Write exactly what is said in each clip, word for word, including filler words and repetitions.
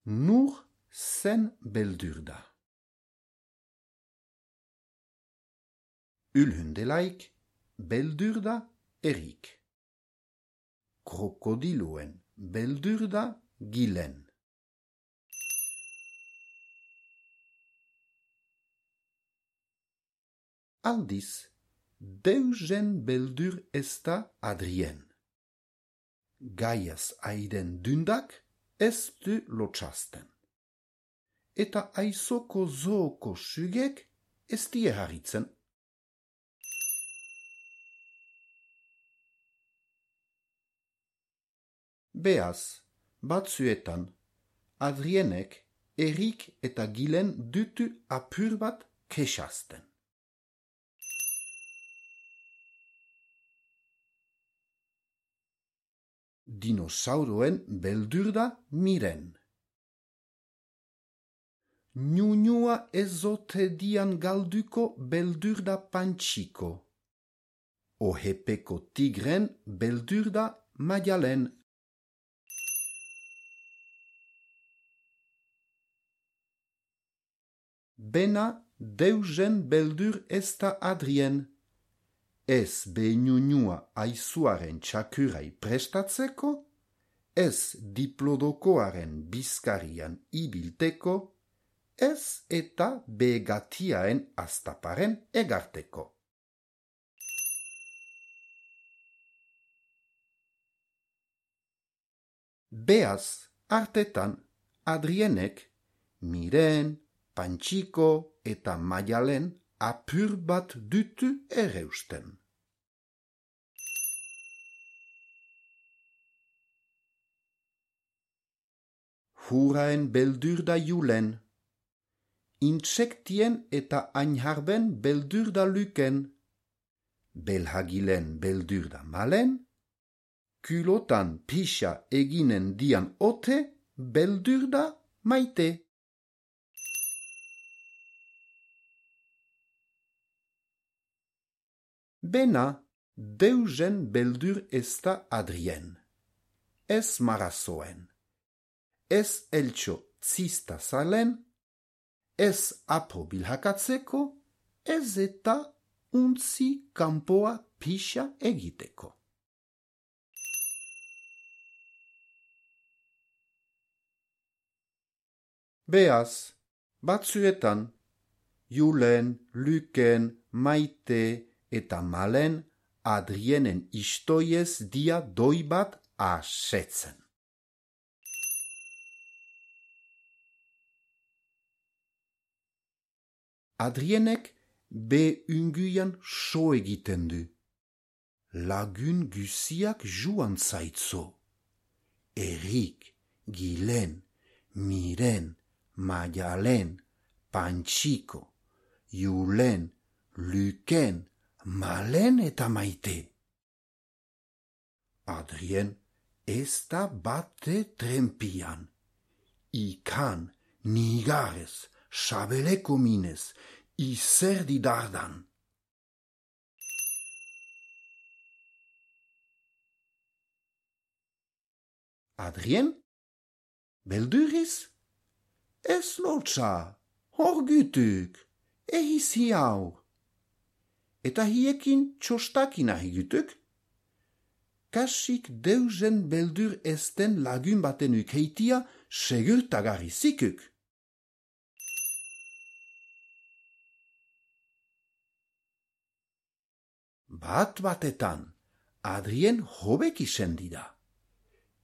nur zen beldur da. Ulhundelaik beldur da erik. Krokodiloen beldur da gilen. Aldiz, deugen beldur ez da Adrien. Gaiaz aiden dundak ez du lotxasten. Eta aizoko zooko sugek ez die harritzen. Beaz, batzuetan, Adrienek erik eta gilen dutu apur bat kexasten. Dinosauroen beldur da miren. Nunua ezote dian galduko beldur da pantxiko. Ohepeko tigren beldur da maialen. Bena deugen beldur ez da Adrien. Ez behinunua aizuaren txakurai prestatzeko, ez diplodokoaren bizkarian ibilteko, ez eta begatiaen astaparen egarteko. Beaz, artetan, Adrienek, miren, pantxiko eta maialen apur bat dutu ereusten. Huraen beldur da julen. Intsektien eta ainharben beldur da luken. Belhagilen beldur da malen. Kulotan pixa eginen dian ote beldur da maite. Bena, deugen beldur ez da Adrien. Ez marazoen. Ez eltxo zista zalen, ez apo bilhakatzeko, ez eta untzi kanpoa pixa egiteko. Beaz, batzuetan, julen, luken, maite eta malen Adrienen istoiez dia doi bat asetzen. Adrienek be unguian so egiten du. Lagun guziak juan zaitzo. Erik, gilen, miren, maialen, pantxiko, julen, luken, malen eta maite. Adrien ez da bate trempian. Ikan, nigarez, sabeleko minez, izerdi dardan. Adrien? Belduriz? Ez lotsa, horgutuk, ehiz hiau. Eta hiekin txostakina higutuk? Kasik deugen beldur ezten lagun baten ukeitia segurtagarri zikuk. Bat batetan, Adrien hobek isendi da.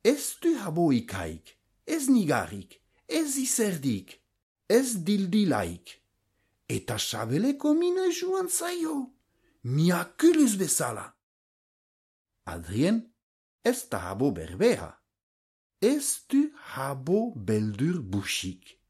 Ez du haboikaik, ez nigarik, ez izerdik, ez dildilaik. Eta sabeleko mine juan zaio, miakuluz bezala. Adrien ez da habo berbera, ez du habo beldur busik.